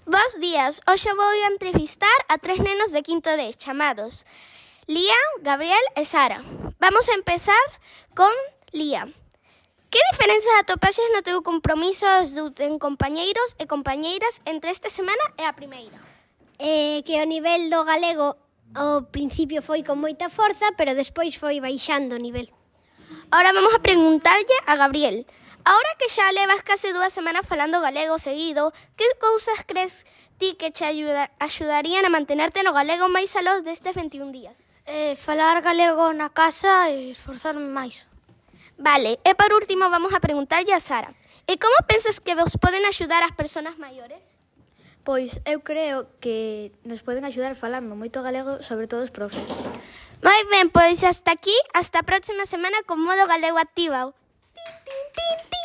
Bos días, hoxe vou a entrevistar a 3 nenos de quinto D chamados Lía, Gabriel e Sara. Vamos a empezar con Lía. Que diferenzas atopaxes no teu compromiso en compañeiros e compañeiras entre esta semana e a primeira? Que o nivel do galego ao principio foi con moita forza, pero despois foi baixando o nivel. Ahora vamos a preguntarlle a Gabriel. Ahora que xa levas case 2 semanas falando galego seguido, que cousas crees ti que che axudarían a mantenerte no galego máis aló destes 21 días? Falar galego na casa e esforzarme máis. Vale, e por último vamos a preguntarlle a Sara. E como pensas que vos poden axudar as persoas maiores? Pois eu creo que nos poden axudar falando moito galego, sobre todo os profes. Moi ben, pois hasta aquí, hasta a próxima semana con Modo Galego Activado. Tin, tin, tin, tin.